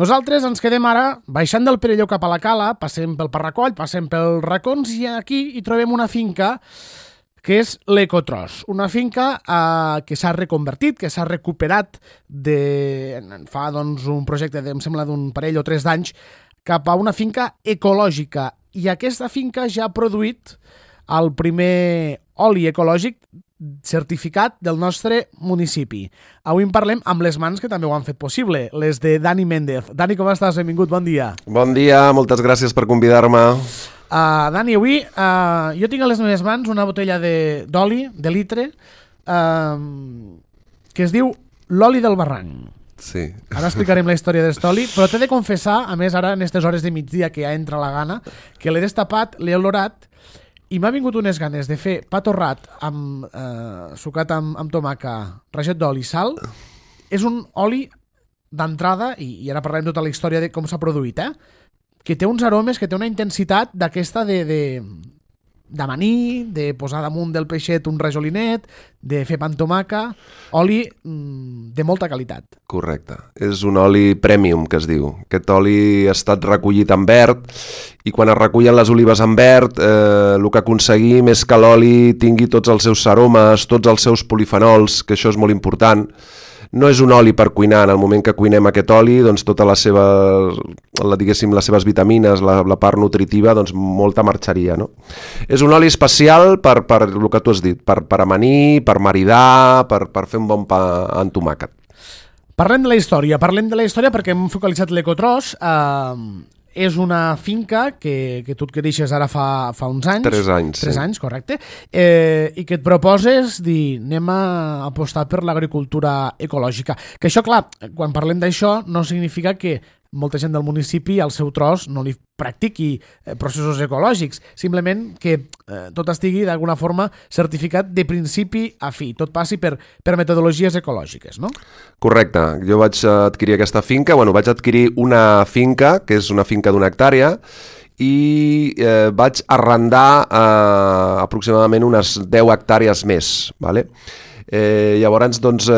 Nosaltres ens quedem ara baixant del Perelló cap a la Cala, passem pel Parracoll, passem pels racons i aquí hi trobem una finca que és l'Ecotros, una finca que s'ha reconvertit, que s'ha recuperat fa un projecte, em sembla, d'un parell o 3 d'anys, cap a una finca ecològica. I aquesta finca ja ha produït el primer oli ecològic certificat del nostre municipi. Avui en parlem amb les mans que també ho han fet possible, les de Dani Méndez. Dani, com estàs? Benvingut, bon dia. Bon dia, moltes gràcies per convidar-me. Dani, avui jo tinc a les meves mans una botella d'oli, de litre, que es diu l'oli del barranc. Sí. Ara explicarem la història d'aquest oli, però t'he de confessar, a més ara en aquestes hores de migdia que ja entra la gana, que l'he destapat, l'he olorat, i m'ha vingut unes ganes de fer pa torrat sucat amb tomaca, rajat d'oli i sal. És un oli d'entrada, i ara parlem tota la història de com s'ha produït, que té uns aromes, que té una intensitat d'aquesta d'amanir, de posar damunt del peixet un rajolinet, de fer pa amb tomaca, oli de molta qualitat. Correcte. És un oli premium, que es diu. Aquest oli ha estat recollit en verd i quan es recullen les olives en verd, el que aconseguim és que l'oli tingui tots els seus aromes, tots els seus polifenols, que això és molt important. No és un oli per cuinar. En el moment que cuinem aquest oli, doncs tota les seves vitamines, la part nutritiva, doncs molta marxaria, no? És un oli especial per el que tu has dit, per amanir, per maridar, per fer un bon pa amb tomàquet. Parlem de la història perquè hem focalitzat l'Ecotros. És una finca que tu et deixes ara fa uns anys. 3 anys. 3 anys, correcte. I que et proposes dir, anem a apostar per l'agricultura ecològica. Que això, clar, quan parlem d'això, no significa que molta gent del municipi al seu tros no li practiqui processos ecològics, simplement que tot estigui d'alguna forma certificat de principi a fi, tot passi per metodologies ecològiques, no? Correcte, jo vaig adquirir aquesta finca, vaig adquirir una finca, que és una finca d'1 hectàrea, i vaig arrendar aproximadament unes 10 hectàrees més, ¿vale? Llavors, doncs,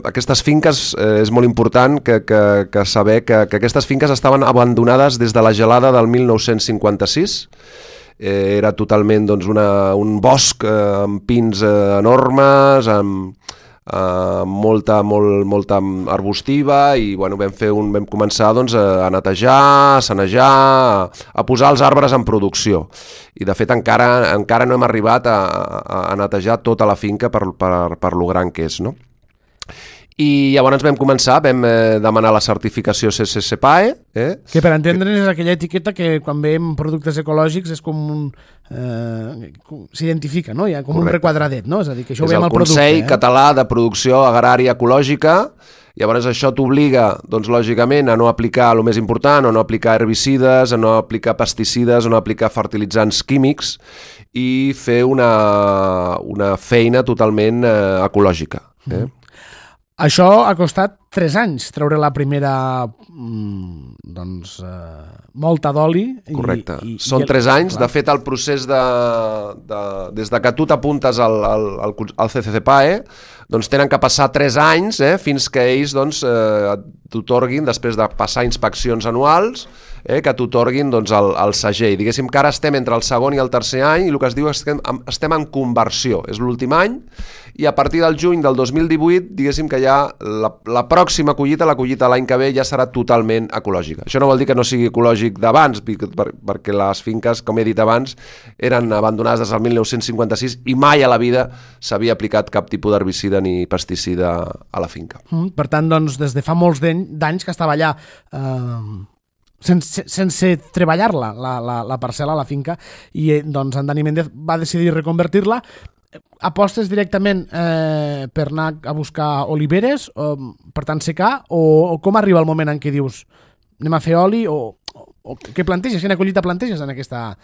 aquestes finques és molt important que saber que aquestes finques estaven abandonades des de la gelada del 1956. Era totalment doncs, un bosc amb pins enormes, amb molta arbustiva i vam començar doncs, a netejar, a sanejar, a posar els arbres en producció. I de fet encara no hem arribat a netejar tota la finca per lo gran que és, no? I llavors vam demanar la certificació CSCPAE. Que per entendre'ns és aquella etiqueta que quan veiem productes ecològics és com s'identifica, no? Hi ha com un requadradet, no? És a dir, que això ho veiem al producte. És el Consell Català de Producció Agrària Ecològica. Llavors això t'obliga, doncs, lògicament, a no aplicar el més important, a no aplicar herbicides, a no aplicar pesticides, a no aplicar fertilitzants químics i fer una feina totalment ecològica. Això ha costat 3 anys, treure la primera molta d'oli. Correcte. Són 3 anys. De fet, el procés des de que tu t'apuntes al CCCPAE, doncs tenen que passar 3 anys fins que ells t'otorguin, després de passar inspeccions anuals, que t'otorguin el segell. Diguéssim que ara estem entre el segon i el tercer any i el que es diu és que estem en conversió. És l'últim any i a partir del juny del 2018, diguéssim que ja la pròxima collita, la collita l'any que ve, ja serà totalment ecològica. Això no vol dir que no sigui ecològic d'abans, perquè les finques, com he dit abans, eren abandonades des del 1956 i mai a la vida s'havia aplicat cap tipus d'herbicida ni pesticida a la finca. Per tant, doncs, des de fa molts d'anys que estava allà sense treballar-la, la parcel·la, la finca, i doncs en Dani Méndez va decidir reconvertir-la. Apostes directament per anar a buscar oliveres, per tant secar, o com arriba el moment en què dius anem a fer oli, o què planteges, quina collita planteges en aquesta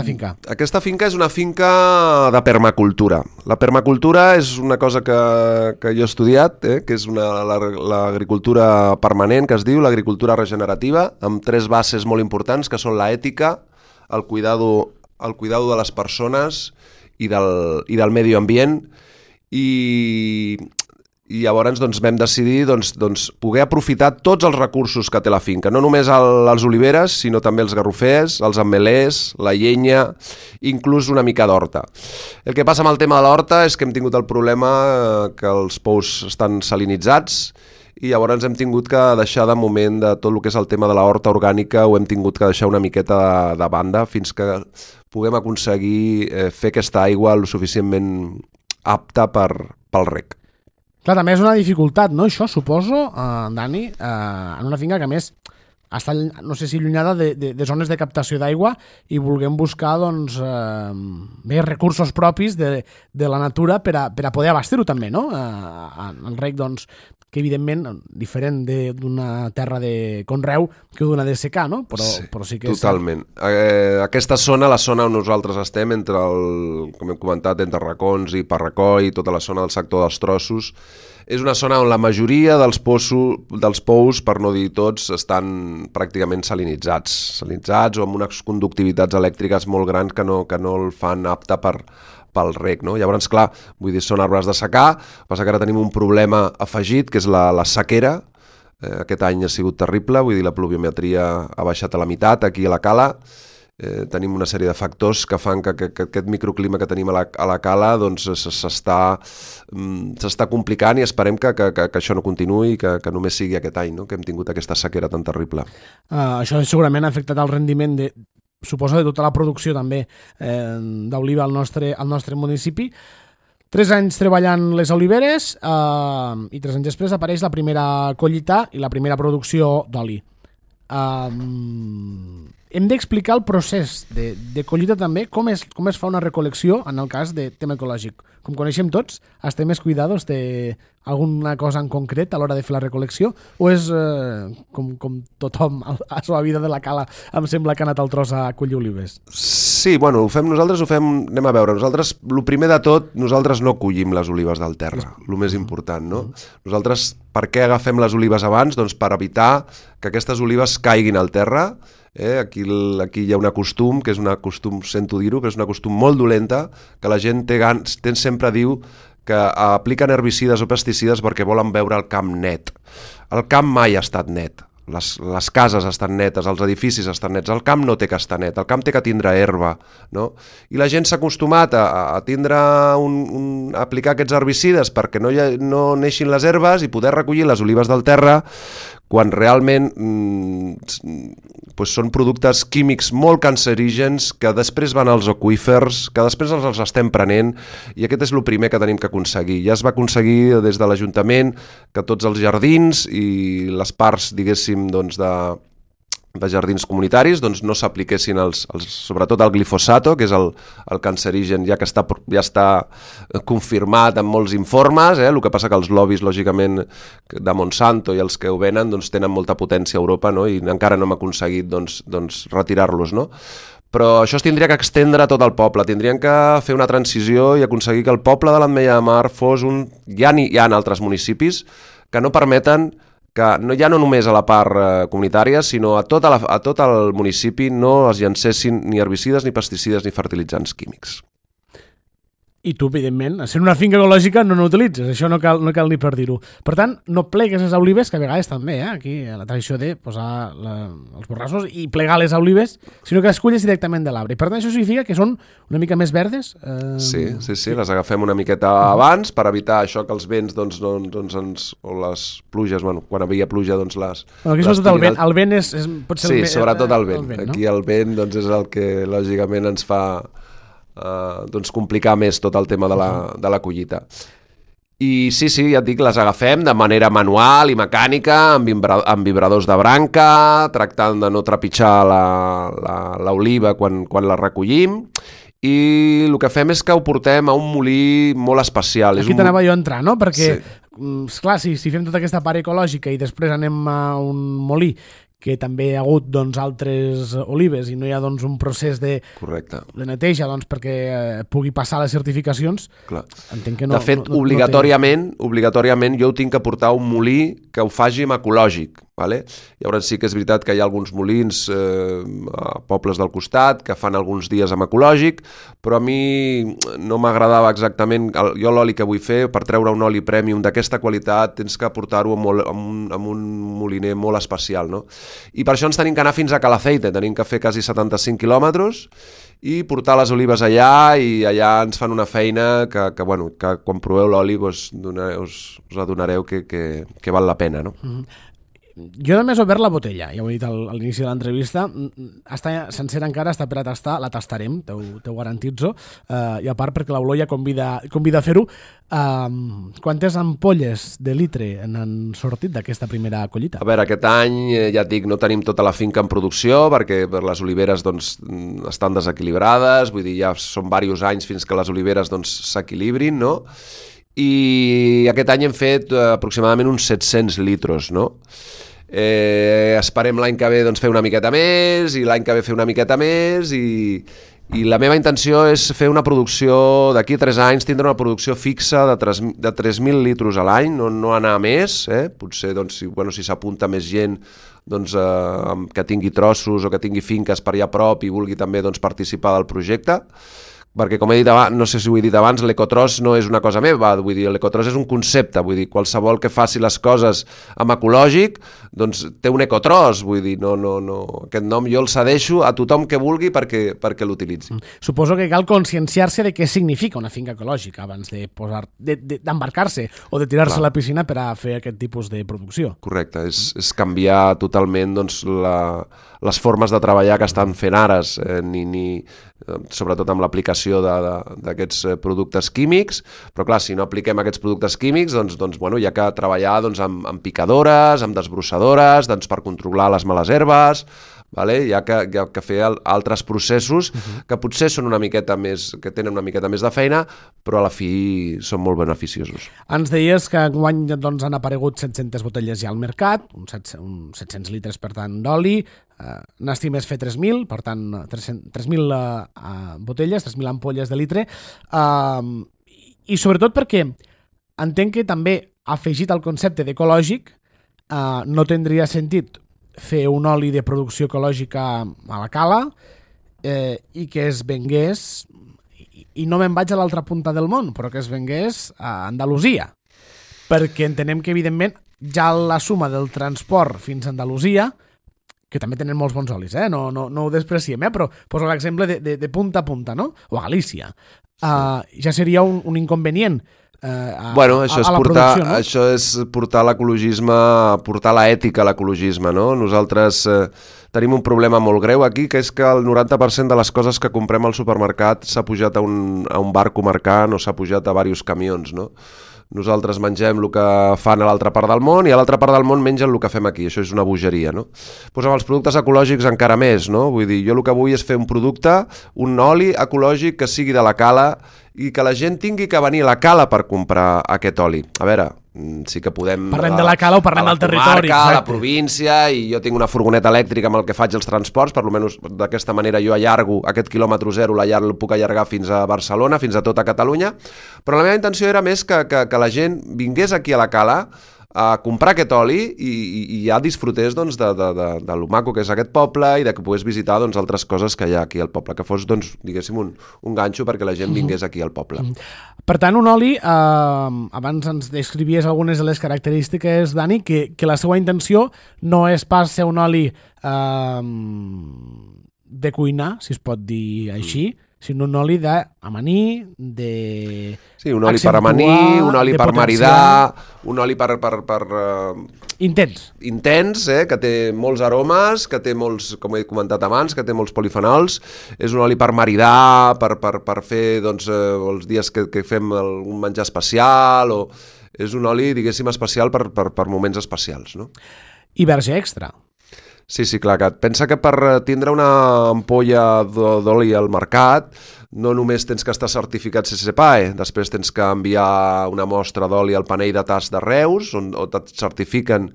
finca? Aquesta finca és una finca de permacultura. La permacultura és una cosa que jo he estudiat, que és l'agricultura permanent, que es diu l'agricultura regenerativa, amb 3 bases molt importants, que són l'ètica, el cuidado de les persones i del medi ambient, i I llavors vam decidir poder aprofitar tots els recursos que té la finca, no només els oliveres, sinó també els garrofers, els ametllers, la llenya, inclús una mica d'horta. El que passa amb el tema de l'horta és que hem tingut el problema que els pous estan salinitzats i llavors hem tingut que deixar de moment de tot el que és el tema de la horta orgànica, ho hem tingut que deixar una miqueta de banda fins que puguem aconseguir fer aquesta aigua lo suficientment apta pel reg. Clar, també és una dificultat, no? Això, suposo, Dani, en una finca que, a més, està, no sé si allunyada de zones de captació d'aigua i vulguem buscar, doncs, més recursos propis de la natura per a poder abastir-ho també, no? El reg, doncs, que evidentment, diferent d'una terra de conreu que d'una de secà, no? Però sí que totalment. Aquesta zona, la zona on nosaltres estem, entre com hem comentat, entre Racons i Parracoi, tota la zona del sector dels Trossos, és una zona on la majoria dels pous, per no dir tots, estan pràcticament salinitzats o amb unes conductivitats elèctriques molt grans que no el fan apte pel reg, no? Llavors, clar, vull dir, són arbres de secà, passa que ara tenim un problema afegit, que és la sequera. Aquest any ha sigut terrible, vull dir, la pluviometria ha baixat a la meitat aquí a la cala. Tenim una sèrie de factors que fan que aquest microclima que tenim a la cala doncs s'està complicant i esperem que això no continuï i que només sigui aquest any, no? Que hem tingut aquesta sequera tan terrible. Això segurament ha afectat el rendiment suposo de tota la producció també d'oliva al nostre municipi. 3 anys treballant les oliveres i 3 anys després apareix la primera collita i la primera producció d'oli. Hem d'explicar el procés de collita també, com es fa una recol·lecció en el cas de tema ecològic. Com coneixem tots, estem més cuidados de alguna cosa en concret a l'hora de fer la recol·lecció o és com tothom a la seva vida de la cala em sembla que ha anat al tros a collir olives? Sí, bueno, nosaltres ho fem, anem a veure, nosaltres, el primer de tot, nosaltres no collim les olives del terra, el més important, no? Nosaltres, per què agafem les olives abans? Doncs per evitar que aquestes olives caiguin al terra. Aquí hi ha un costum, que és un costum, sento dir-ho, però és una costum molt dolenta, que la gent sempre diu que apliquen herbicides o pesticides perquè volen veure el camp net. El camp mai ha estat net. Les cases estan netes, els edificis estan nets, el camp no té que estar net, el camp té que tindre herba, no? I la gent s'ha acostumat a tindre a aplicar aquests herbicides perquè no neixin les herbes i poder recollir les olives del terra quan realment són productes químics molt cancerígens que després van als aqüífers, que després els estem prenent i aquest és el primer que tenim que aconseguir. Ja es va aconseguir des de l'Ajuntament que tots els jardins i les parts, diguéssim, de jardins comunitaris no s'apliquessin sobretot el glifosato, que és el cancerigen ja està confirmat en molts informes, el que passa que els lobbies, lògicament, de Monsanto i els que ho venen tenen molta potència a Europa, no? I encara no hem aconseguit retirar-los, no? Però això es tindria que extendre a tot el poble, tindrien que fer una transició i aconseguir que el poble de l'Ametlla de Mar fos hi ha altres municipis que no permeten que ja no només a la part comunitària, sinó a tot el municipi no es llancessin ni herbicides, ni pesticides, ni fertilitzants químics. I tu, evidentment, sent una finca ecològica no n'utilitzes, això no cal ni per dir-ho. Per tant, no plegues les olives, que a vegades també, aquí la tradició de posar els borrassos i plegar les olives, sinó que les culles directament de l'arbre. I per tant, això significa que són una mica més verdes? Sí, les agafem una miqueta abans per evitar això que els vents o les pluges, quan havia pluja, les... Aquí sobretot el vent pot ser... Sí, sobretot el vent. Aquí el vent és el que lògicament ens fa complicar més tot el tema de la collita. I sí, ja et dic, les agafem de manera manual i mecànica, amb vibradors de branca, tractant de no trepitjar l'oliva quan la recollim, i el que fem és que ho portem a un molí molt especial. Aquí t'anava jo a entrar, no? Perquè, esclar, si fem tota aquesta part ecològica i després anem a un molí que també hi ha hagut doncs, altres olives i no hi ha doncs, un procés de neteja doncs, perquè pugui passar les certificacions, entenc que no... De fet, obligatòriament jo ho tinc que portar a un molí que ho faci amb ecològic. Vale? Llavors sí que és veritat que hi ha alguns molins a pobles del costat que fan alguns dies amb ecològic, però a mi no m'agradava exactament. Jo l'oli que vull fer, per treure un oli premium d'aquesta qualitat, tens que portar-ho amb un moliner molt especial, no? I per això ens tenim que anar fins a Calaceite, tenim que fer quasi 75 quilòmetres i portar les olives allà, i allà ens fan una feina que quan proveu l'oli us adonareu que val la pena, no? Jo només he obert la botella, ja ho he dit a l'inici de l'entrevista, està sencera encara, està per a tastar, la tastarem, t'ho garantitzo, i a part perquè l'olor ja convida a fer-ho. Quantes ampolles de litre n'han sortit d'aquesta primera collita? A veure, aquest any, ja et dic, no tenim tota la finca en producció, perquè les oliveres doncs, estan desequilibrades, vull dir, ja són diversos anys fins que les oliveres doncs, s'equilibrin, no? I aquest any hem fet aproximadament uns 700 litres, no? Esperem l'any que ve doncs, fer una miqueta més, i l'any que ve fer una miqueta més, i la meva intenció és fer una producció, d'aquí a 3 anys, tindre una producció fixa de 3.000 litres a l'any, no anar a més, potser doncs, si s'apunta més gent doncs, que tingui trossos o que tingui finques per allà a prop i vulgui també doncs, participar del projecte, perquè com he dit abans, no sé si ho he dit abans, l'ecotros no és una cosa meva, vull dir, l'ecotros és un concepte, vull dir, qualsevol que faci les coses amb ecològic, doncs té un ecotros, vull dir, no, aquest nom jo el cedeixo a tothom que vulgui perquè l'utilitzi. Suposo que cal conscienciar-se de què significa una finca ecològica abans d'embarcar-se o de tirar-se a la piscina per a fer aquest tipus de producció. Correcte, és canviar totalment doncs, les formes de treballar que estan fent ara, sobretot amb l'aplicació d'aquests productes químics, però clar, si no apliquem aquests productes químics, doncs hi ha que treballar amb picadores, amb desbrossadores, per controlar les males herbes, hi ha que fer altres processos que potser són que tenen una miqueta més de feina, però a la fi són molt beneficiosos. Ens deies que enguany han aparegut 700 botelles ja al mercat, uns 700 litres per tant d'oli, n'estimes fer 3.000, per tant 3.000 botelles, 3.000 ampolles de litre, i sobretot perquè entenc que també afegit al concepte d'ecològic no tindria sentit fer un oli de producció ecològica a la cala i que es vengués, i no me'n vaig a l'altra punta del món, però que es vengués a Andalusia, perquè entenem que evidentment ja la suma del transport fins a Andalusia, que també tenen molts bons olis, no ho despreciem, però poso l'exemple de punta a punta, no? O a Galícia. Ja seria un inconvenient això és portar l'ecologisme, portar l'ètica a l'ecologisme, no? Nosaltres tenim un problema molt greu aquí, que és que el 90% de les coses que comprem al supermercat s'ha pujat a un barco mercant o s'ha pujat a diversos camions, no? Nosaltres mengem el que fan a l'altra part del món i a l'altra part del món mengen el que fem aquí. Això és una bogeria, no? Doncs amb els productes ecològics encara més, no? Vull dir, jo el que vull és fer un producte, un oli ecològic que sigui de la cala i que la gent tingui que venir a la cala per comprar aquest oli. A veure, sí que podem... Parlem de la cala o parlem del territori. A la província, i jo tinc una furgoneta elèctrica amb el que faig els transports, per almenys d'aquesta manera jo allargo aquest quilòmetre zero, el puc allargar fins a Barcelona, fins a tota Catalunya, però la meva intenció era més que la gent vingués aquí a la cala a comprar aquest oli i ja disfrutés doncs, de lo maco que és aquest poble i de que pogués visitar doncs, altres coses que hi ha aquí al poble, que fos, doncs, diguéssim, un ganxo perquè la gent vingués aquí al poble. Per tant, un oli, abans ens descrivies algunes de les característiques, Dani, que la seva intenció no és pas ser un oli de cuinar, si es pot dir així, sinó un oli d'amanir, de... Sí, un oli per amanir, un oli per maridar, un oli per... Intens. Intens, que té molts aromes, que té molts, com he comentat abans, que té molts polifenols. És un oli per maridar, per fer doncs, els dies que fem un menjar especial, o és un oli, diguéssim, especial per moments especials, no? I verge extra. Sí, clar, que pensa que per tindre una ampolla d'oli al mercat no només tens que estar certificat CCPAE, després tens que enviar una mostra d'oli al panell de tast de Reus, on et certifiquen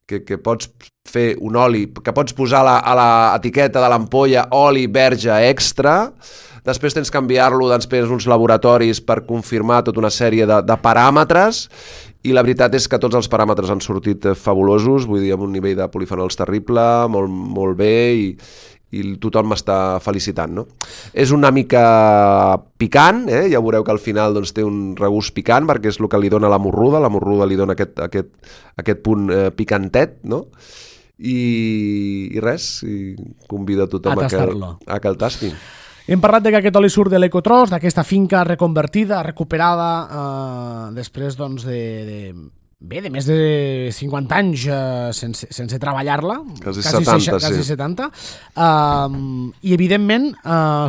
que pots fer un oli, que pots posar a l'etiqueta de l'ampolla oli verge extra, després tens que enviar-lo després uns laboratoris per confirmar tota una sèrie de paràmetres, i la veritat és que tots els paràmetres han sortit fabulosos, vull dir, amb un nivell de polifenols terrible, molt, molt bé, i tothom m'està felicitant, no? És una mica picant, ja veureu que al final doncs, té un regust picant, perquè és el que li dona la morruda li dona aquest punt picantet, no? I res, convido a tothom a que el tastin. Hem parlat que aquest oli surt de l'Ecotros, d'aquesta finca reconvertida, recuperada, després doncs, de més de 50 anys sense treballar-la, quasi 70, quasi 70. I evidentment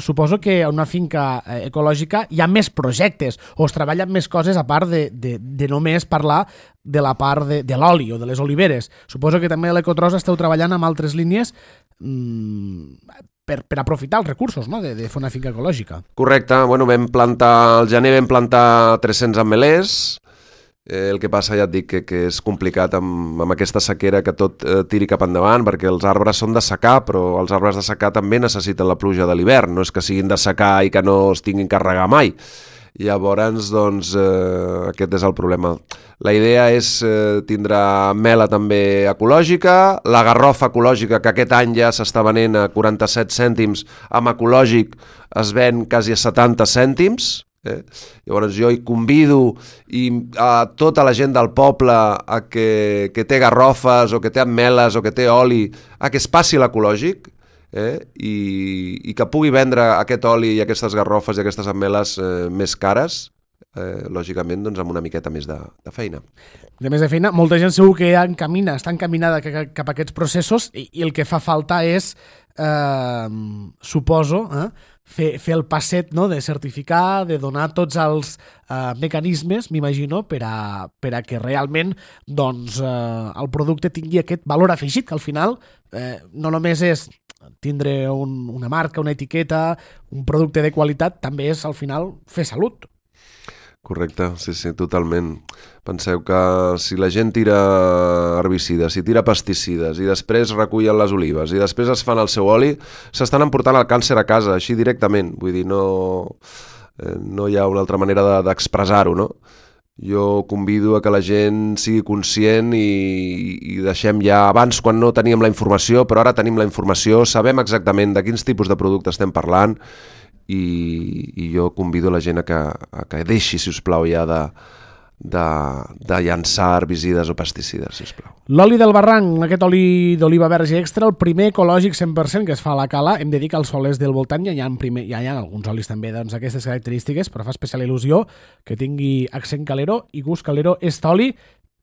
suposo que a una finca ecològica hi ha més projectes o es treballen més coses a part de només parlar de la part de l'oli o de les oliveres. Suposo que també a l'Ecotros esteu treballant amb altres línies per aprofitar els recursos, no? de fer una finca ecològica. Correcte, bueno, al gener vam plantar 300 ametllers. El que passa, ja et dic, que és complicat amb aquesta sequera que tot tiri cap endavant, perquè els arbres són de secar, però els arbres de secar també necessiten la pluja de l'hivern, no és que siguin de secar i que no es tinguin que regar mai. Llavors, doncs, aquest és el problema. La idea és tindre mela també ecològica, la garrofa ecològica, que aquest any ja s'està venent a 47 cèntims, amb ecològic es ven quasi a 70 cèntims, Llavors jo hi convido a tota la gent del poble que té garrofes o que té ameles o que té oli a que es passi l'ecològic i que pugui vendre aquest oli i aquestes garrofes i aquestes ameles més cares, lògicament doncs amb una miqueta més de feina. De més de feina, molta gent segur que està encaminada cap a aquests processos i el que fa falta és, suposo, fer el passet, no?, de certificar, de donar tots els mecanismes, m'imagino, per a que realment doncs, el producte tingui aquest valor afegit, que al final no només és tindre una marca, una etiqueta, un producte de qualitat, també és al final fer salut. Correcte, sí, totalment. Penseu que si la gent tira herbicides, si tira pesticides i després recullen les olives i després es fan el seu oli, s'estan emportant el càncer a casa, així directament. Vull dir, no hi ha una altra manera d'expressar-ho, no? Jo convido a que la gent sigui conscient i deixem ja, abans quan no teníem la informació, però ara tenim la informació, sabem exactament de quins tipus de producte estem parlant i jo convido la gent a que deixi, si us plau, ja de llançar herbicides o pesticides, si us plau. L'oli del barranc, aquest oli d'oliva verge extra, el primer ecològic 100% que es fa a la cala, hem de dir que els solers del voltant ja hi ha alguns olis també d'aquestes característiques, però fa especial il·lusió que tingui accent calero i gust calero aquest oli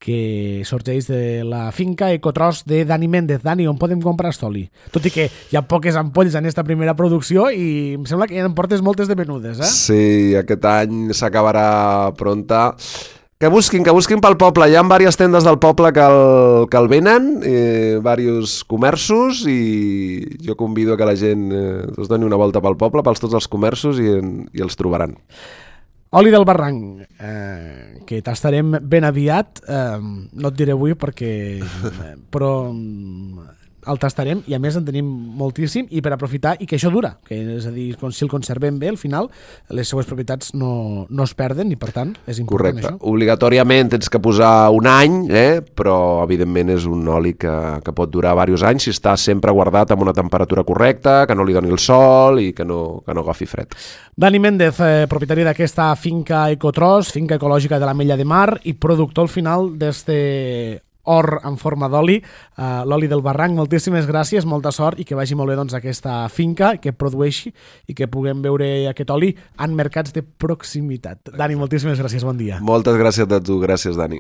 que sorgeix de la finca Ecotros de Dani Méndez. Dani, on podem comprar aquest oli? Tot i que hi ha poques ampolles en aquesta primera producció i em sembla que ja en portes moltes de menudes, Sí, aquest any s'acabarà pronta. Que busquin pel poble. Hi ha diverses tendes del poble que el venen, diversos comerços, i jo convido a que la gent es doni una volta pel poble, pels tots els comerços, i els trobaran. Oli del barranc, que tastarem ben aviat, no et diré avui però el tastarem i a més en tenim moltíssim i per aprofitar i que això dura, que és a dir, si el conservem bé al final les seues propietats no es perden i per tant és important. Correcte. Això. Obligatòriament tens que posar un any, però evidentment és un oli que pot durar diversos anys si està sempre guardat amb una temperatura correcta, que no li doni el sol i que no agafi fred. Dani Méndez, propietari d'aquesta finca Ecotros, finca ecològica de l'Ametlla de Mar i productor al final d'este or en forma d'oli, l'oli del barranc. Moltíssimes gràcies, molta sort i que vagi molt bé doncs, aquesta finca, que produeixi i que puguem veure aquest oli en mercats de proximitat. Dani, moltíssimes gràcies, bon dia. Moltes gràcies a tu, gràcies Dani.